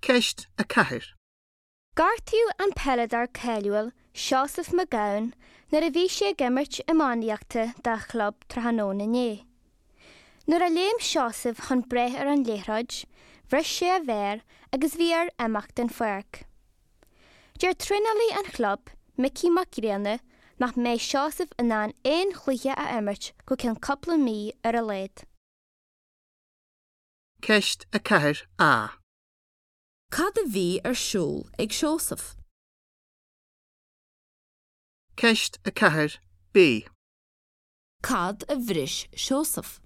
Ceist 4. Gortaíodh an peileadóir cáiliúil Seosamh Mac Gabhann nuair a bhí sé ag imirt iománaíochta dá chlub tráthnóna inné. Nuair a léim Seosamh chun breith ar an liathróid, bhris sé a mhéar agus bhí air imeacht den pháirc. Deir traenálaí an chlub, Micí Mac Grianna, nach mbeidh Seosamh in ann aon chluiche a imirt go ceann cúpla mí ar a laghad. Ceist 4A. Cad a bhí ar siúl ag Seosamh? Ceist 4B. Cad a bhris Seosamh?